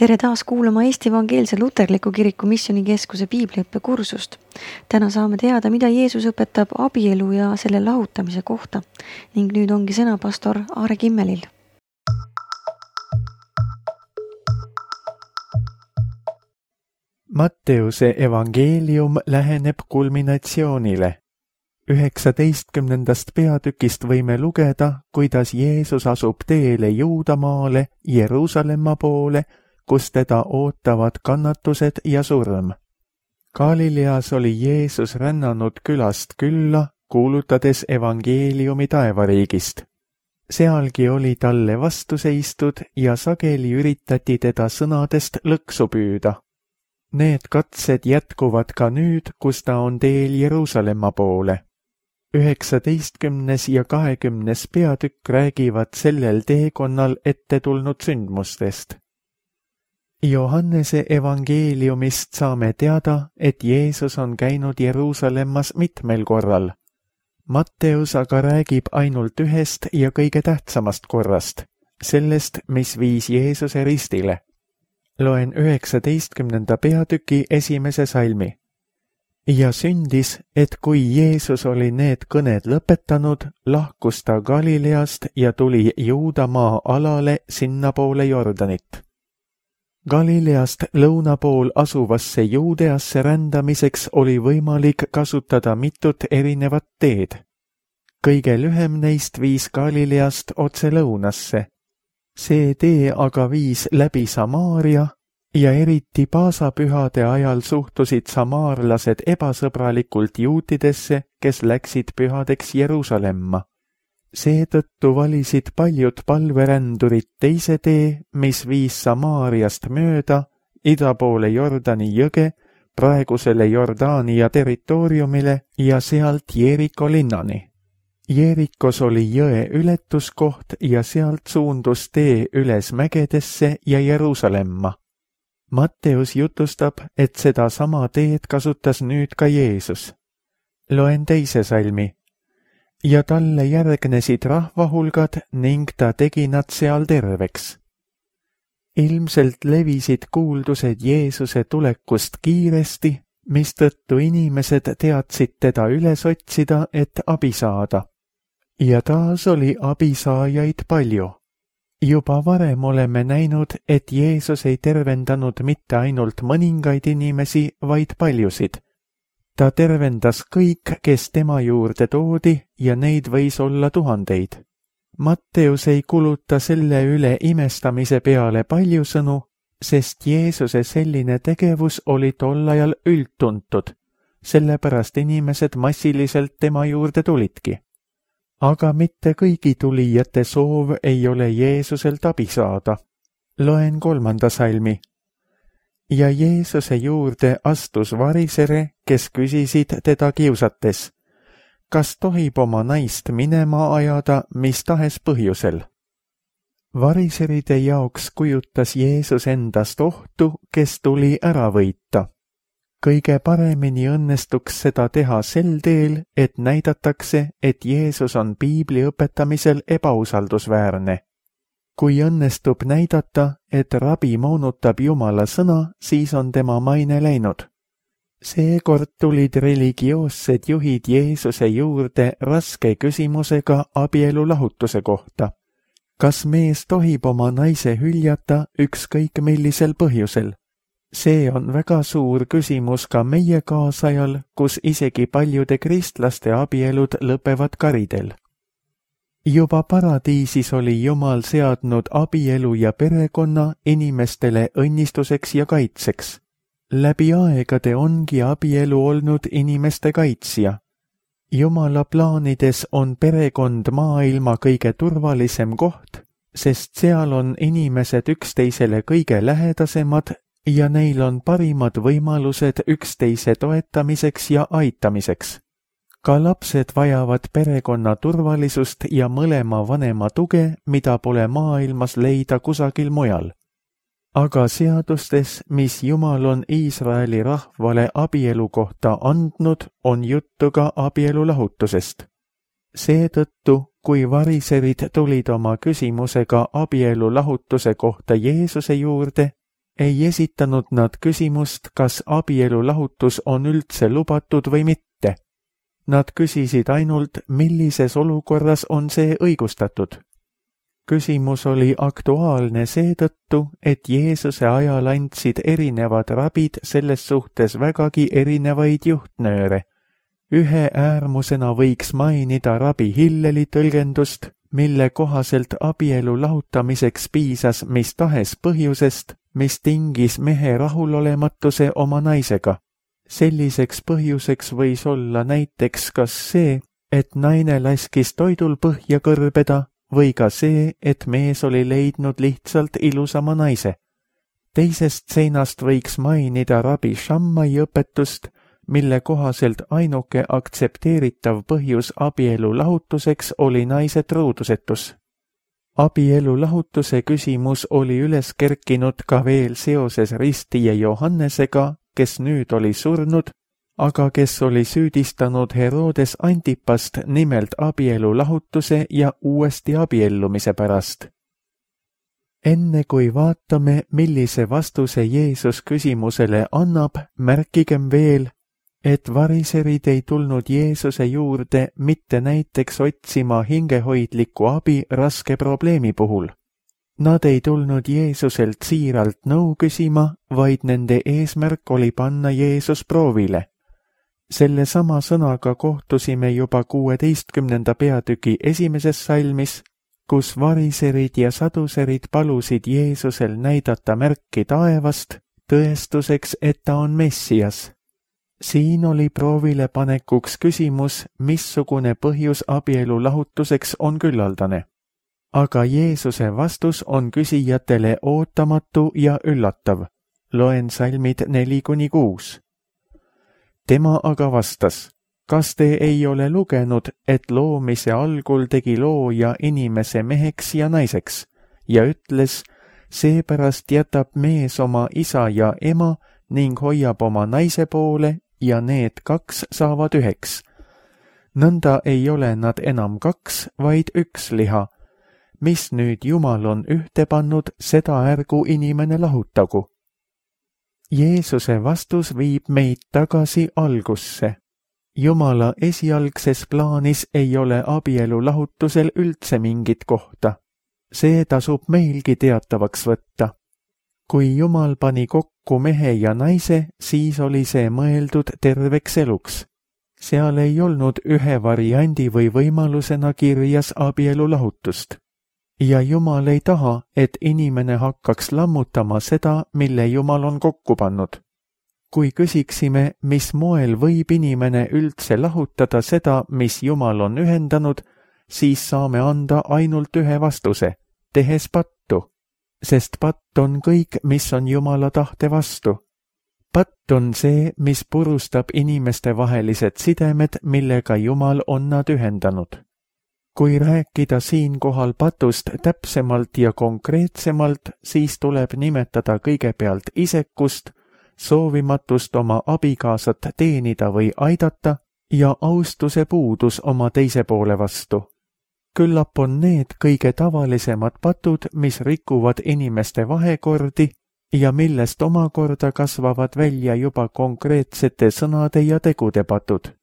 Tere taas kuulama Eesti Evangeelse Luterliku Kiriku Missioonikeskuse piibliõppe kursust. Täna saame teada, mida Jeesus õpetab abielu ja selle lahutamise kohta. Ning nüüd ongi sõna pastor Aare Kimmelil. Matteuse evangeelium läheneb kulminatsioonile. 19. peatükist võime lugeda, kuidas Jeesus asub teele Juudamaale, Jeruusalemma poole, kus teda ootavad kannatused ja surm. Galileas oli Jeesus rännanud külast külla, kuulutades evangeeliumi taevariigist. Sealgi oli talle vastu seistud ja sageli üritati teda sõnadest lõksu püüda. Need katsed jätkuvad ka nüüd, kus ta on teel Jeruusalemma poole. 19. ja 20. peatükk räägivad sellel teekonnal ette tulnud sündmustest. Johannese evangeeliumist saame teada, et Jeesus on käinud Jeruusalemmas mitmel korral. Matteus aga räägib ainult ühest ja kõige tähtsamast korrast, sellest, mis viis Jeesuse ristile. Loen 19. peatüki 1. salmi. Ja sündis, et kui Jeesus oli need kõned lõpetanud, lahkus ta Galileast ja tuli Juudamaa alale sinnapoole Jordanit. Galileast lõuna pool asuvasse Juudeasse rändamiseks oli võimalik kasutada mitut erinevat teed. Kõige lühem neist viis Galileast otse lõunasse. See tee aga viis läbi Samaaria ja eriti paasapühade ajal suhtusid samaarlased ebasõbralikult juutidesse, kes läksid pühadeks Jeruusalemma. Seetõttu valisid paljud palverändurid teise tee, mis viis Samaariast mööda ida poole Jordani jõge, praegusele Jordaania territooriumile ja sealt Jeriko linnani. Jerikos oli jõe ületuskoht ja sealt suundus tee üles mägedesse ja Jeruusalemma. Matteus jutustab, et seda sama teed kasutas nüüd ka Jeesus. Loen 2. salmi. Ja talle järgnesid rahvahulgad ning ta tegi nad seal terveks. Ilmselt levisid kuuldused Jeesuse tulekust kiiresti, mistõttu inimesed teadsid teda üles otsida, et abi saada. Ja taas oli abisaajaid palju. Juba varem oleme näinud, et Jeesus ei tervendanud mitte ainult mõningaid inimesi, vaid paljusid. Ta tervendas kõik, kes tema juurde toodi ja neid võis olla tuhandeid. Matteus ei kuluta selle üle imestamise peale palju sõnu, sest Jeesuse selline tegevus oli tol ajal üldtuntud, sellepärast inimesed massiliselt tema juurde tulidki. Aga mitte kõigi tulijate soov ei ole Jeesuselt abi saada. Loen 3. salmi. Ja Jeesuse juurde astus varisere, kes küsisid teda kiusates, kas tohib oma naist minema ajada mis tahes põhjusel. Variseride jaoks kujutas Jeesus endast ohtu, kes tuli ära võita. Kõige paremini õnnestuks seda teha sel teel, et näidatakse, et Jeesus on piibli õpetamisel ebausaldusväärne. Kui õnnestub näidata, et rabi moonutab Jumala sõna, siis on tema maine läinud. Seekord tulid religioossed juhid Jeesuse juurde raske küsimusega abielu lahutuse kohta. Kas mees tohib oma naise hüljata ükskõik millisel põhjusel? See on väga suur küsimus ka meie kaasajal, kus isegi paljude kristlaste abielud lõpevad karidel. Juba paradiisis oli Jumal seadnud abielu ja perekonna inimestele õnnistuseks ja kaitseks. Läbi aegade ongi abielu olnud inimeste kaitsja. Jumala plaanides on perekond maailma kõige turvalisem koht, sest seal on inimesed üksteisele kõige lähedasemad ja neil on parimad võimalused üksteise toetamiseks ja aitamiseks. Ka lapsed vajavad perekonna turvalisust ja mõlema vanema tuge, mida pole maailmas leida kusagil mujal. Aga seadustes, mis Jumal on Iisraeli rahvale abielu kohta andnud, on juttu ka abielu lahutusest. Seetõttu, kui variserid tulid oma küsimusega abielu lahutuse kohta Jeesuse juurde, ei esitanud nad küsimust, kas abielulahutus on üldse lubatud või mitte. Nad küsisid ainult, millises olukorras on see õigustatud. Küsimus oli aktuaalne seetõttu, et Jeesuse ajal andsid erinevad rabid selles suhtes vägagi erinevaid juhtnööre. Ühe äärmusena võiks mainida rabi Hilleli tõlgendust, mille kohaselt abielu lahutamiseks piisas mis tahes põhjusest, mis tingis mehe rahulolematuse oma naisega. Selliseks põhjuseks võis olla näiteks kas see, et naine laskis toidul põhja kõrbeda, või ka see, et mees oli leidnud lihtsalt ilusama naise. Teisest seinast võiks mainida rabi Shammai õpetust, mille kohaselt ainuke aktsepteeritav põhjus abielu lahutuseks oli naise truudusetus. Abielu lahutuse küsimus oli üles kerkinud ka veel seoses ristija Johannesega, kes nüüd oli surnud, aga kes oli süüdistanud Herodes Antipast nimelt abielu lahutuse ja uuesti abiellumise pärast. Enne kui vaatame, millise vastuse Jeesus küsimusele annab, märkigem veel, et variserid ei tulnud Jeesuse juurde mitte näiteks otsima hingehoidlikku abi raske probleemi puhul. Nad ei tulnud Jeesuselt siiralt nõu küsima, vaid nende eesmärk oli panna Jeesus proovile. Selle sama sõnaga kohtusime juba 16. peatüki 1. salmis, kus variserid ja saduserid palusid Jeesusel näidata märki taevast, tõestuseks, et ta on Messias. Siin oli proovile panekuks küsimus, missugune põhjus abielu lahutuseks on küllaldane. Aga Jeesuse vastus on küsijatele ootamatu ja üllatav. Loen salmid 4-6. Tema aga vastas, kas te ei ole lugenud, et loomise algul tegi looja inimese meheks ja naiseks ja ütles, seepärast jätab mees oma isa ja ema ning hoiab oma naise poole ja need kaks saavad üheks. Nõnda ei ole nad enam kaks, vaid üks liha. Mis nüüd Jumal on ühte pannud, seda ärgu inimene lahutagu. Jeesuse vastus viib meid tagasi algusse. Jumala esialgses plaanis ei ole abielu lahutusel üldse mingit kohta. See tasub meilgi teatavaks võtta. Kui Jumal pani kokku mehe ja naise, siis oli see mõeldud terveks eluks. Seal ei olnud ühe variandi või võimalusena kirjas abielu lahutust. Ja Jumal ei taha, et inimene hakkaks lammutama seda, mille Jumal on kokku pannud. Kui küsiksime, mis moel võib inimene üldse lahutada seda, mis Jumal on ühendanud, siis saame anda ainult ühe vastuse, tehes pattu. Sest patt on kõik, mis on Jumala tahte vastu. Patt on see, mis purustab inimeste vahelised sidemed, millega Jumal on nad ühendanud. Kui rääkida siinkohal patust täpsemalt ja konkreetsemalt, siis tuleb nimetada kõigepealt isekust, soovimatust oma abikaasat teenida või aidata ja austuse puudus oma teise poole vastu. Küllap on need kõige tavalisemad patud, mis rikuvad inimeste vahekordi ja millest omakorda kasvavad välja juba konkreetsete sõnade ja tegude patud.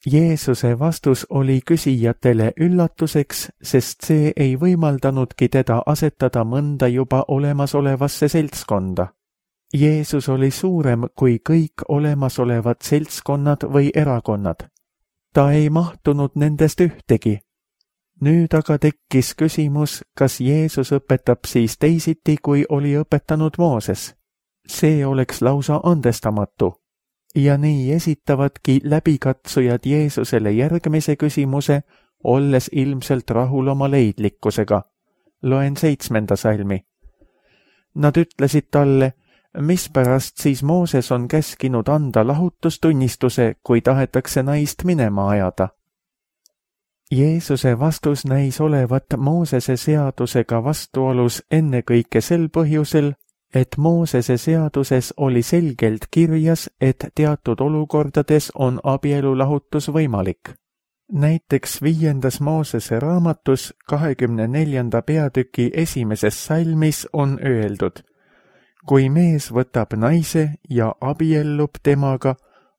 Jeesuse vastus oli küsijatele üllatuseks, sest see ei võimaldanudki teda asetada mõnda juba olemasolevasse seltskonda. Jeesus oli suurem kui kõik olemasolevad seltskonnad või erakonnad. Ta ei mahtunud nendest ühtegi. Nüüd aga tekkis küsimus, kas Jeesus õpetab siis teisiti, kui oli õpetanud Mooses. See oleks lausa andestamatu. Ja nii esitavadki läbikatsujad Jeesusele järgmise küsimuse, olles ilmselt rahul oma leidlikkusega. Loen 7. salmi. Nad ütlesid talle, mispärast siis Mooses on käskinud anda lahutustunnistuse, kui tahetakse naist minema ajada. Jeesuse vastus näis olevat Moosese seadusega vastuolus ennekõike sel põhjusel, et Moosese seaduses oli selgelt kirjas, et teatud olukordades on abielulahutus võimalik. Näiteks 5. Moosese raamatus 24. peatüki 1. salmis on öeldud, kui mees võtab naise ja abiellub temaga,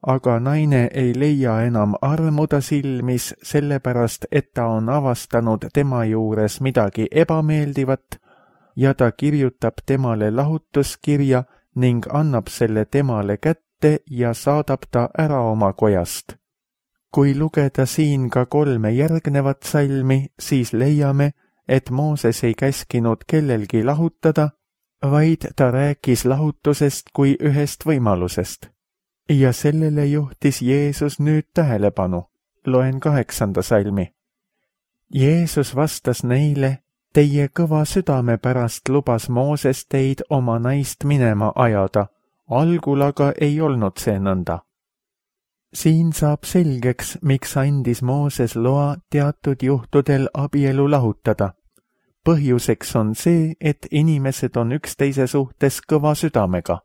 aga naine ei leia enam armu ta silmis sellepärast, et ta on avastanud tema juures midagi ebameeldivat ja ta kirjutab temale lahutuskirja ning annab selle temale kätte ja saadab ta ära oma kojast. Kui lugeda siin ka 3 järgnevat salmi, siis leiame, et Mooses ei käskinud kellelgi lahutada, vaid ta rääkis lahutusest kui ühest võimalusest. Ja sellele juhtis Jeesus nüüd tähelepanu. Loen 8. salmi. Jeesus vastas neile, teie kõva südame pärast lubas Mooses teid oma naist minema ajada, algul aga ei olnud see nõnda. Siin saab selgeks, miks andis Mooses loa teatud juhtudel abielu lahutada. Põhjuseks on see, et inimesed on üksteise suhtes kõva südamega.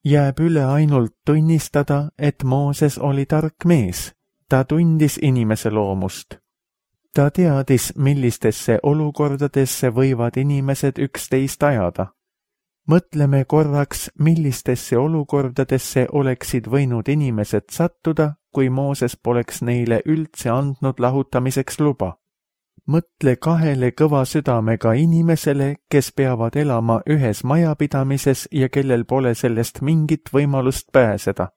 Jääb üle ainult tunnistada, et Mooses oli tark mees. Ta tundis inimese loomust. Ta teadis, millistesse olukordadesse võivad inimesed üksteist ajada. Mõtleme korraks, millistesse olukordadesse oleksid võinud inimesed sattuda, kui Mooses poleks neile üldse andnud lahutamiseks luba. Mõtle 2 kõva südamega inimesele, kes peavad elama ühes majapidamises ja kellel pole sellest mingit võimalust pääseda.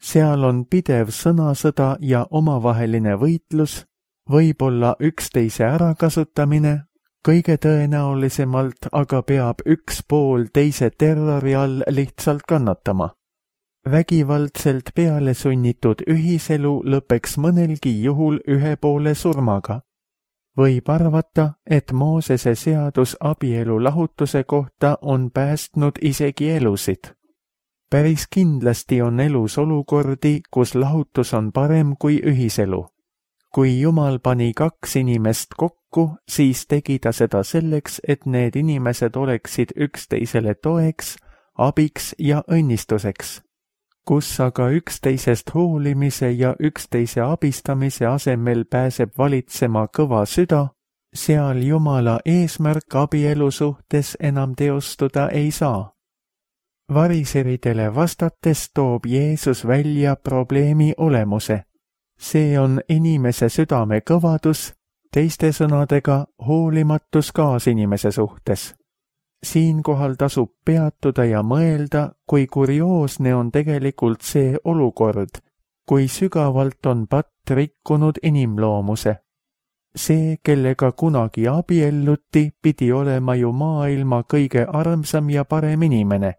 Seal on pidev sõnasõda ja omavaheline võitlus, võib-olla üksteise ärakasutamine, kõige tõenäolisemalt aga peab üks pool teise terrori all lihtsalt kannatama. Vägivaldselt peale sunnitud ühiselu lõpeks mõnelgi juhul ühe poole surmaga. Võib arvata, et Moosese seadus abielu lahutuse kohta on päästnud isegi elusid. Päris kindlasti on elus olukordi, kus lahutus on parem kui ühiselu. Kui Jumal pani 2 inimest kokku, siis tegi ta seda selleks, et need inimesed oleksid üksteisele toeks, abiks ja õnnistuseks. Kus aga üksteisest hoolimise ja üksteise abistamise asemel pääseb valitsema kõva süda, seal Jumala eesmärk abielu suhtes enam teostuda ei saa. Variseridele vastates toob Jeesus välja probleemi olemuse. See on inimese südame kõvadus, teiste sõnadega hoolimatus kaasinimese suhtes. Siinkohal tasub peatuda ja mõelda, kui kurioosne on tegelikult see olukord, kui sügavalt on patt rikkunud inimloomuse. See, kellega kunagi abielluti, pidi olema ju maailma kõige armsam ja parem inimene.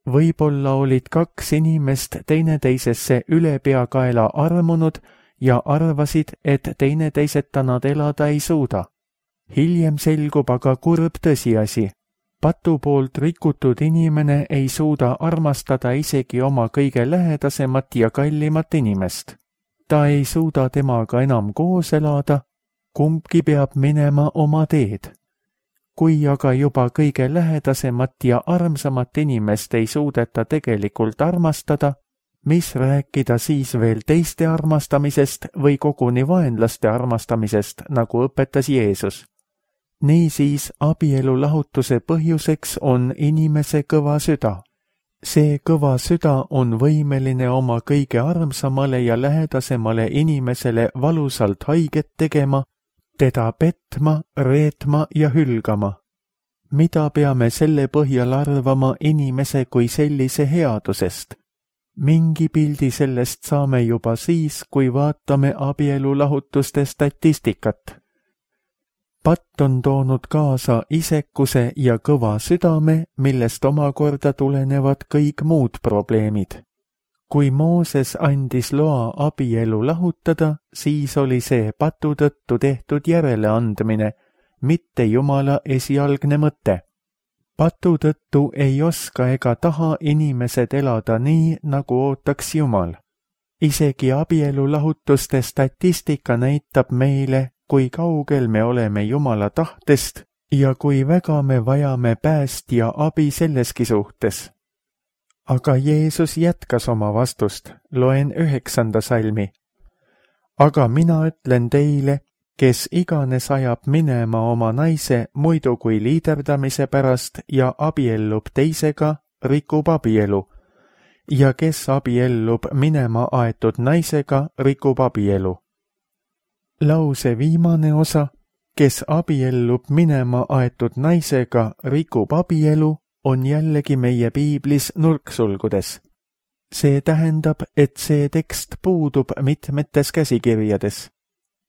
Võib-olla olid 2 inimest teineteisesse ülepeakaela armunud ja arvasid, et teineteiseta nad elada ei suuda. Hiljem selgub aga kurb tõsiasi. Patu poolt rikutud inimene ei suuda armastada isegi oma kõige lähedasemat ja kallimat inimest. Ta ei suuda temaga enam koos elada, kumbki peab minema oma teed. Kui aga juba kõige lähedasemat ja armsamat inimest ei suudeta tegelikult armastada, mis rääkida siis veel teiste armastamisest või koguni vaenlaste armastamisest, nagu õpetas Jeesus. Niisiis abielu lahutuse põhjuseks on inimese kõva süda. See kõva süda on võimeline oma kõige armsamale ja lähedasemale inimesele valusalt haiget tegema, teda petma, reetma ja hülgama. Mida peame selle põhjal arvama inimese kui sellise headusest? Mingi pildi sellest saame juba siis, kui vaatame abielu lahutuste statistikat. Patt on toonud kaasa isekuse ja kõva südame, millest omakorda tulenevad kõik muud probleemid. Kui Mooses andis loa abielu lahutada, siis oli see patu tõttu tehtud järeleandmine, mitte Jumala esialgne mõte. Patu tõttu ei oska ega taha inimesed elada nii, nagu ootaks Jumal. Isegi abielu lahutuste statistika näitab meile, kui kaugel me oleme Jumala tahtest ja kui väga me vajame päästja abi selleski suhtes. Aga Jeesus jätkas oma vastust, loen 9. salmi. Aga mina ütlen teile, kes iganes ajab minema oma naise muidu kui liiderdamise pärast ja abiellub teisega, rikub abielu ja kes abiellub minema aetud naisega, rikub abielu. Lause viimane osa, kes abiellub minema aetud naisega, rikub abielu, on jällegi meie piiblis nurksulgudes. See tähendab, et see tekst puudub mitmetes käsikirjades.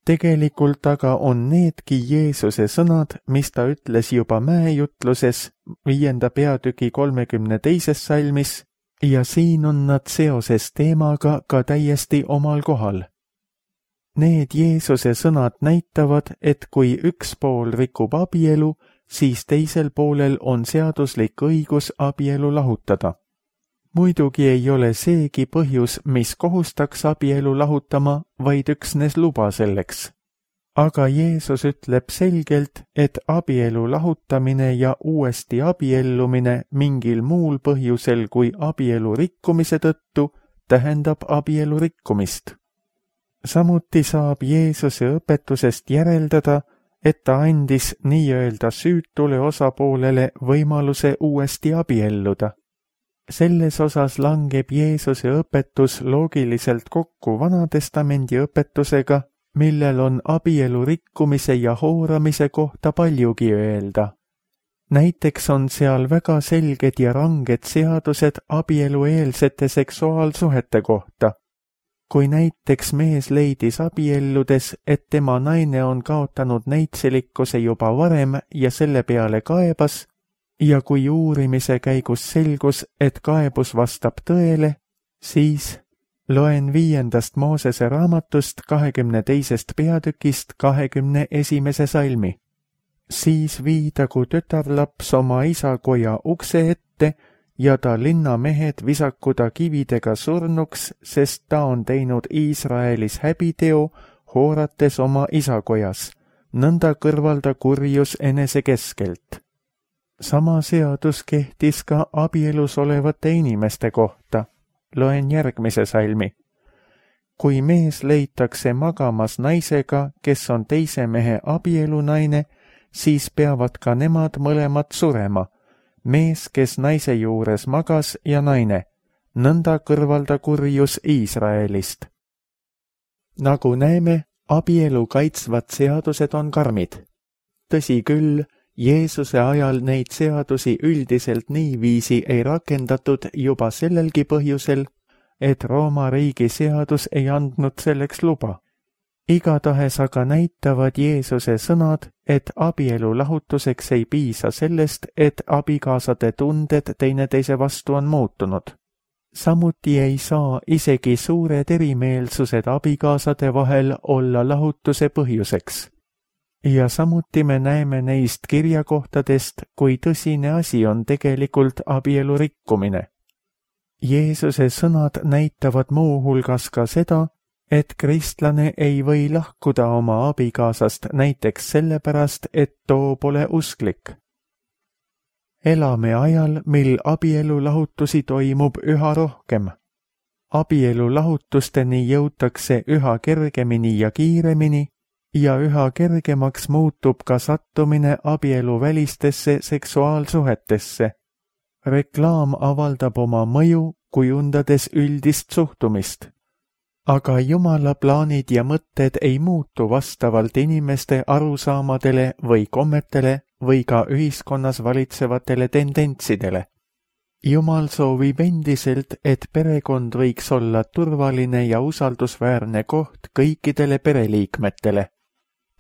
Tegelikult aga on needki Jeesuse sõnad, mis ta ütles juba mäejutluses 5. peatüki 32. salmis ja siin on nad seoses teemaga ka täiesti omal kohal. Need Jeesuse sõnad näitavad, et kui üks pool rikub abielu, siis teisel poolel on seaduslik õigus abielu lahutada. Muidugi ei ole seegi põhjus, mis kohustaks abielu lahutama, vaid üksnes luba selleks. Aga Jeesus ütleb selgelt, et abielu lahutamine ja uuesti abiellumine mingil muul põhjusel kui abielu rikkumise tõttu tähendab abielu rikkumist. Samuti saab Jeesuse õpetusest järeldada, et ta andis nii-öelda süütule osapoolele võimaluse uuesti abielluda. Selles osas langeb Jeesuse õpetus loogiliselt kokku Vanatestamendi õpetusega, millel on abielu rikkumise ja hooramise kohta paljugi öelda. Näiteks on seal väga selged ja ranged seadused abielueelsete seksuaalsuhete kohta. Kui näiteks mees leidis abielludes, et tema naine on kaotanud neitselikkuse juba varem ja selle peale kaebas, ja kui uurimise käigus selgus, et kaebus vastab tõele, siis loen 5. Moosese raamatust 22. peatükist 21. salmi. Siis viidagu tütarlaps oma isakoja ukse ette ja ta linnamehed visaku ta kividega surnuks, sest ta on teinud Iisraelis häbiteo, hoorates oma isakojas. Nõnda kõrvalda kurjus enese keskelt. Sama seadus kehtis ka abielus olevate inimeste kohta. Loen järgmise salmi. Kui mees leitakse magamas naisega, kes on teise mehe abielunaine, siis peavad ka nemad mõlemad surema. Mees, kes naise juures magas ja naine. Nõnda kõrvalda kurjus Iisraelist. Nagu näeme, abielu kaitsvad seadused on karmid. Tõsi küll, Jeesuse ajal neid seadusi üldiselt niiviisi ei rakendatud juba sellelgi põhjusel, et Rooma riigi seadus ei andnud selleks luba. Igatahes aga näitavad Jeesuse sõnad, et abielu lahutuseks ei piisa sellest, et abikaasade tunded teineteise vastu on muutunud. Samuti ei saa isegi suured erimeelsused abikaasade vahel olla lahutuse põhjuseks. Ja samuti me näeme neist kirjakohtadest, kui tõsine asi on tegelikult abielu rikkumine. Jeesuse sõnad näitavad muu hulgas ka seda, et kristlane ei või lahkuda oma abikaasast näiteks sellepärast, et too pole usklik. Elame ajal, mil abielulahutusi toimub üha rohkem. Abielulahutusteni jõutakse üha kergemini ja kiiremini ja üha kergemaks muutub ka sattumine abieluvälistesse seksuaalsuhetesse. Reklaam avaldab oma mõju, kujundades üldist suhtumist. Aga Jumala plaanid ja mõtted ei muutu vastavalt inimeste arusaamadele või kommetele või ka ühiskonnas valitsevatele tendentsidele. Jumal soovib endiselt, et perekond võiks olla turvaline ja usaldusväärne koht kõikidele pereliikmetele.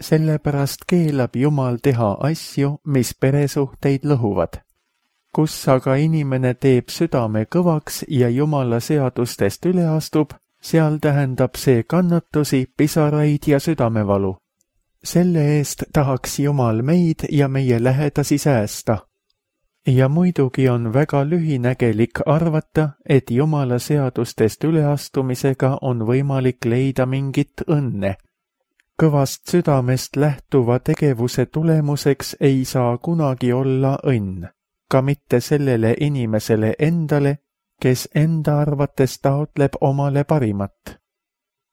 Sellepärast keelab Jumal teha asju, mis peresuhteid lõhuvad. Kus aga inimene teeb südame kõvaks ja Jumala seadustest üle astub, seal tähendab see kannatusi, pisaraid ja südamevalu. Selle eest tahaks Jumal meid ja meie lähedasi säästa. Ja muidugi on väga lühinägelik arvata, et Jumala seadustest üleastumisega on võimalik leida mingit õnne. Kõvast südamest lähtuva tegevuse tulemuseks ei saa kunagi olla õnn, ka mitte sellele inimesele endale, kes enda arvates taotleb omale parimat.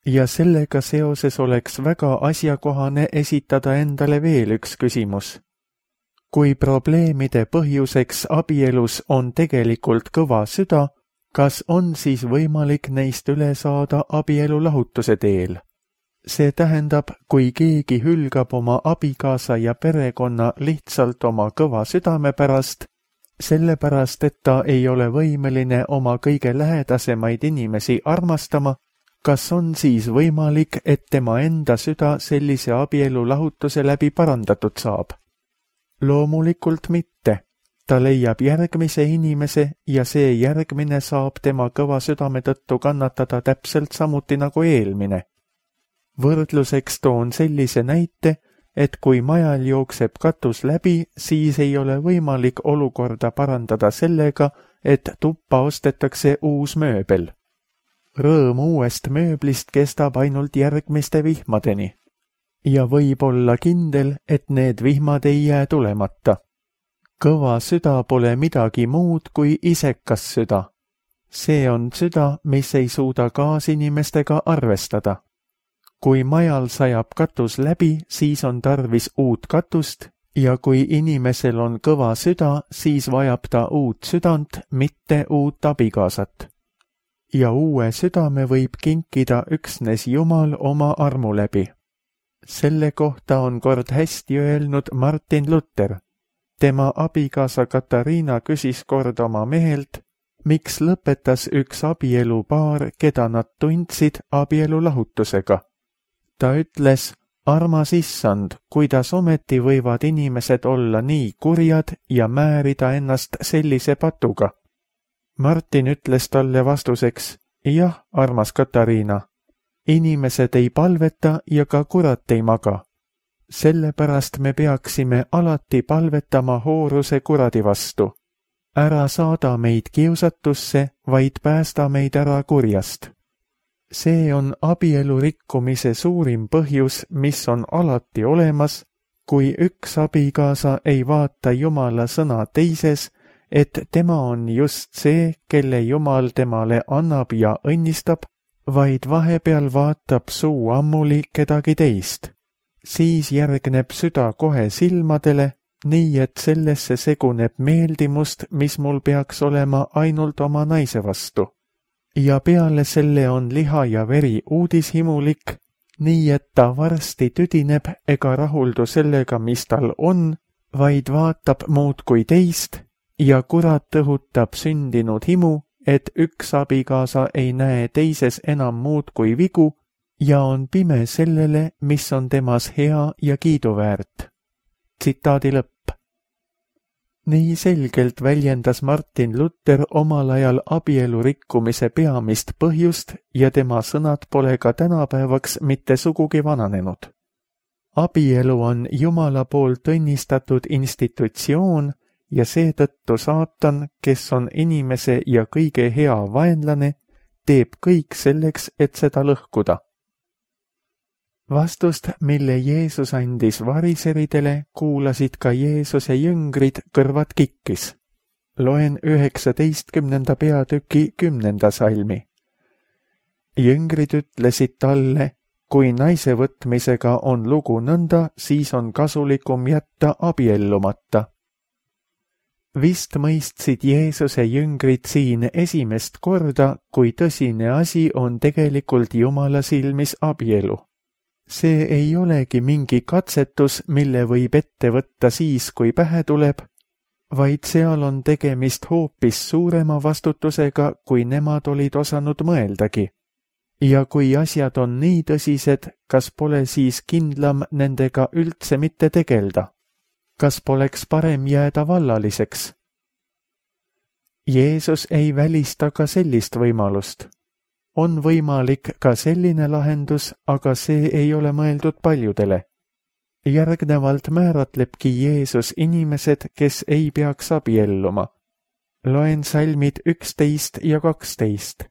Ja sellega seoses oleks väga asjakohane esitada endale veel üks küsimus. Kui probleemide põhjuseks abielus on tegelikult kõva süda, kas on siis võimalik neist üle saada abielu lahutuse teel? See tähendab, kui keegi hülgab oma abikaasa ja perekonna lihtsalt oma kõva südame pärast, sellepärast, et ta ei ole võimeline oma kõige lähedasemaid inimesi armastama, kas on siis võimalik, et tema enda süda sellise abielu lahutuse läbi parandatud saab? Loomulikult mitte. Ta leiab järgmise inimese ja see järgmine saab tema kõva südame tõttu kannatada täpselt samuti nagu eelmine. Võrdluseks toon sellise näite, et kui majal jookseb katus läbi, siis ei ole võimalik olukorda parandada sellega, et tuppa ostetakse uus mööbel. Rõõm uuest mööblist kestab ainult järgmiste vihmadeni. Ja võib olla kindel, et need vihmad ei jää tulemata. Kõva süda pole midagi muud kui isekas süda. See on süda, mis ei suuda kaasinimestega arvestada. Kui majal sajab katus läbi, siis on tarvis uut katust ja kui inimesel on kõva süda, siis vajab ta uut südant, mitte uut abikaasat. Ja uue südame võib kinkida üksnes Jumal oma armu läbi. Selle kohta on kord hästi öelnud Martin Luther. Tema abikaasa Katariina küsis kord oma mehelt, miks lõpetas üks abielupaar, keda nad tundsid abielu lahutusega. Ta ütles, armas issand, kuidas ometi võivad inimesed olla nii kurjad ja määrida ennast sellise patuga. Martin ütles talle vastuseks, jah, armas Katariina, inimesed ei palveta ja ka kurat ei maga. Sellepärast me peaksime alati palvetama hooruse kuradi vastu. Ära saada meid kiusatusse, vaid päästa meid ära kurjast. See on abielu rikkumise suurim põhjus, mis on alati olemas, kui üks abikaasa ei vaata Jumala sõna teises, et tema on just see, kelle Jumal temale annab ja õnnistab, vaid vahepeal vaatab suu ammuli kedagi teist. Siis järgneb süda kohe silmadele, nii et sellesse seguneb meeldimust, mis mul peaks olema ainult oma naise vastu. Ja peale selle on liha ja veri uudishimulik, nii et ta varsti tüdineb ega rahuldu sellega, mis tal on, vaid vaatab muud kui teist ja kurat õhutab sündinud himu, et üks abikaasa ei näe teises enam muud kui vigu ja on pime sellele, mis on temas hea ja kiiduväärt. Tsitaadi lõpp. Nii selgelt väljendas Martin Luther omal ajal abielu rikkumise peamist põhjust ja tema sõnad pole ka tänapäevaks mitte sugugi vananenud. Abielu on Jumala poolt õnnistatud institutsioon ja seetõttu saatan, kes on inimese ja kõige hea vaenlane, teeb kõik selleks, et seda lõhkuda. Vastust, mille Jeesus andis variseridele, kuulasid ka Jeesuse jüngrid kõrvad kikkis. Loen 19. peatüki 10. salmi. Jüngrid ütlesid talle, kui naise võtmisega on lugu nõnda, siis on kasulikum jätta abiellumata. Vist mõistsid Jeesuse jüngrid siin esimest korda, kui tõsine asi on tegelikult Jumala silmis abielu. See ei olegi mingi katsetus, mille võib ette võtta siis, kui pähe tuleb, vaid seal on tegemist hoopis suurema vastutusega, kui nemad olid osanud mõeldagi. Ja kui asjad on nii tõsised, kas pole siis kindlam nendega üldse mitte tegelda? Kas poleks parem jääda vallaliseks? Jeesus ei välista ka sellist võimalust. On võimalik ka selline lahendus, aga see ei ole mõeldud paljudele. Järgnevalt määratlebki Jeesus inimesed, kes ei peaks abielluma. Loen salmid 11 ja 12.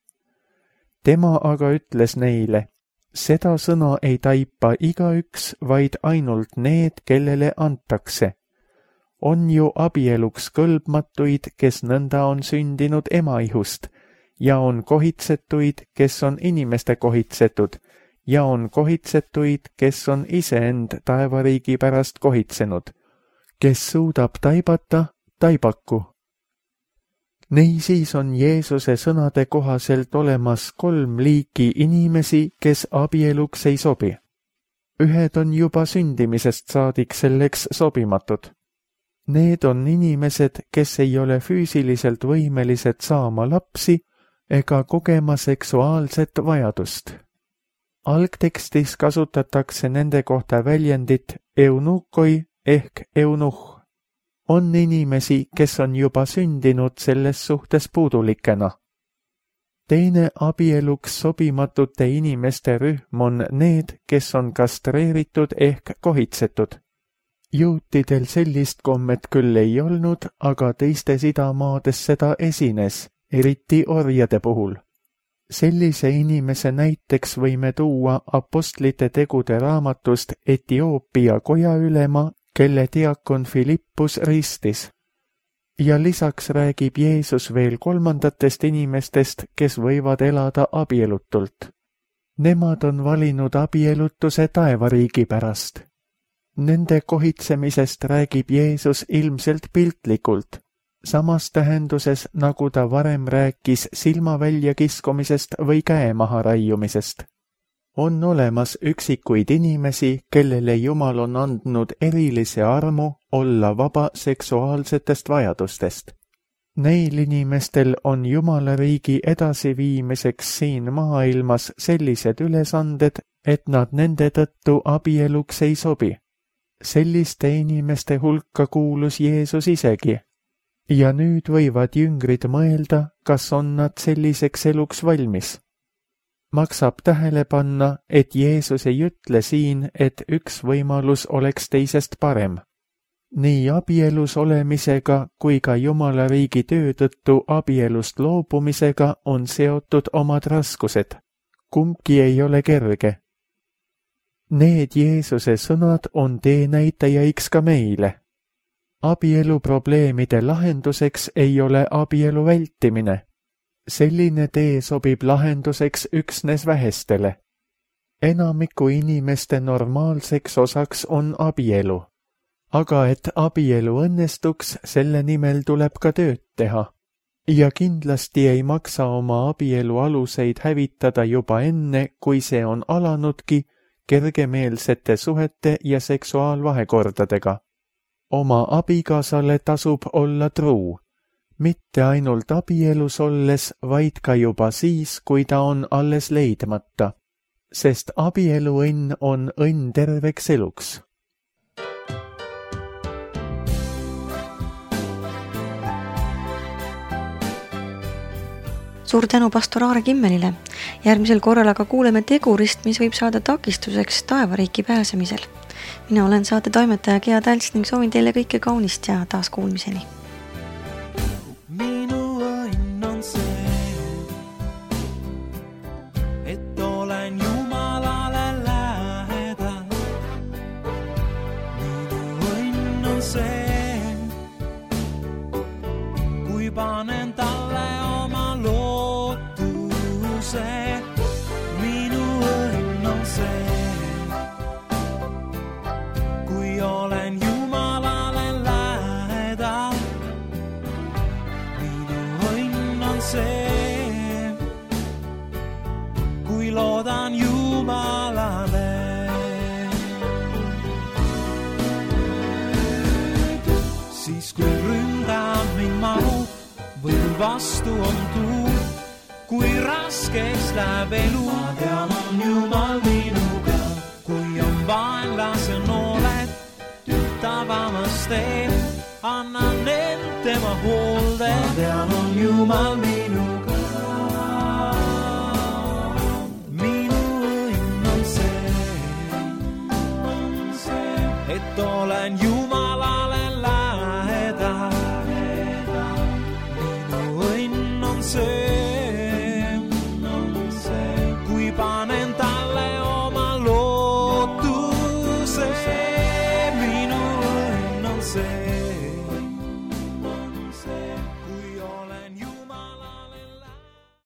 Tema aga ütles neile, seda sõna ei taipa igaüks, vaid ainult need, kellele antakse. On ju abieluks kõlbmatuid, kes nõnda on sündinud emaihust, ja on kohitsetuid, kes on inimeste kohitsetud, ja on kohitsetuid, kes on iseend taevariigi pärast kohitsenud. Kes suudab taibata, taibaku. Niisiis on Jeesuse sõnade kohaselt olemas 3 liiki inimesi, kes abieluks ei sobi. Ühed on juba sündimisest saadik selleks sobimatud. Need on inimesed, kes ei ole füüsiliselt võimelised saama lapsi ega kogema seksuaalset vajadust. Algtekstis kasutatakse nende kohta väljendit eunukoi ehk eunuh. On inimesi, kes on juba sündinud selles suhtes puudulikena. Teine abieluks sobimatute inimeste rühm on need, kes on kastreeritud ehk kohitsetud. Juutidel sellist kommet küll ei olnud, aga teistes idamaades seda esines, eriti orjade puhul. Sellise inimese näiteks võime tuua apostlite tegude raamatust Etioopia kojaülema, kelle diakon Filippus ristis. Ja lisaks räägib Jeesus veel 3. inimestest, kes võivad elada abielutult. Nemad on valinud abielutuse taevariigi pärast. Nende kohitsemisest räägib Jeesus ilmselt piltlikult, samas tähenduses, nagu ta varem rääkis silma väljakiskumisest või käe maha raiumisest. On olemas üksikuid inimesi, kellele Jumal on andnud erilise armu olla vaba seksuaalsetest vajadustest. Neil inimestel on Jumala riigi edasiviimiseks siin maailmas sellised ülesanded, et nad nende tõttu abieluks ei sobi. Selliste inimeste hulka kuulus Jeesus isegi. Ja nüüd võivad jüngrid mõelda, kas on nad selliseks eluks valmis. Maksab tähele panna, et Jeesus ei ütle siin, et üks võimalus oleks teisest parem. Nii abielus olemisega kui ka Jumala riigi töö tõttu abielust loobumisega on seotud omad raskused. Kumbki ei ole kerge. Need Jeesuse sõnad on teenäitajaiks ka meile. Abielu probleemide lahenduseks ei ole abielu vältimine. Selline tee sobib lahenduseks üksnes vähestele. Enamiku inimeste normaalseks osaks on abielu. Aga et abielu õnnestuks, selle nimel tuleb ka tööd teha. Ja kindlasti ei maksa oma abielu aluseid hävitada juba enne, kui see on alanudki kergemeelsete suhete ja seksuaalvahekordadega. Oma abikaasale tasub olla truu. Mitte ainult abielus olles, vaid ka juba siis, kui ta on alles leidmata. Sest abieluõnn on õnn terveks eluks. Suur tänu pastor Aare Kimmelile. Järgmisel korral aga kuuleme tegurist, mis võib saada takistuseks taevariiki pääsemisel. Mina olen saate toimetaja Gea Tälts ning soovin teile kõike kaunist ja taas kuulmiseni. Minu õnn on see, et olen Jumalale lähedal. Minu õnn on see, kui panen talle oma lootuse. Minu õnn on see, kui olen Jumalale lähedal. Minu õnn on see, kui loodan Jumalale. Siis kui ründab mind mahu või kui vastu on tuul, kui raskeks läheb elu, ma tean, on Jumal minuga. Kui on vaenlase nooled tütavamas teed, annan end tema hoolde, ma tean, on Jumal minuga. Minu õnn on see, et olen Jumalale lähedal. Minu õnn on see, kui panen talle oma lootuse. Minu õnn on see.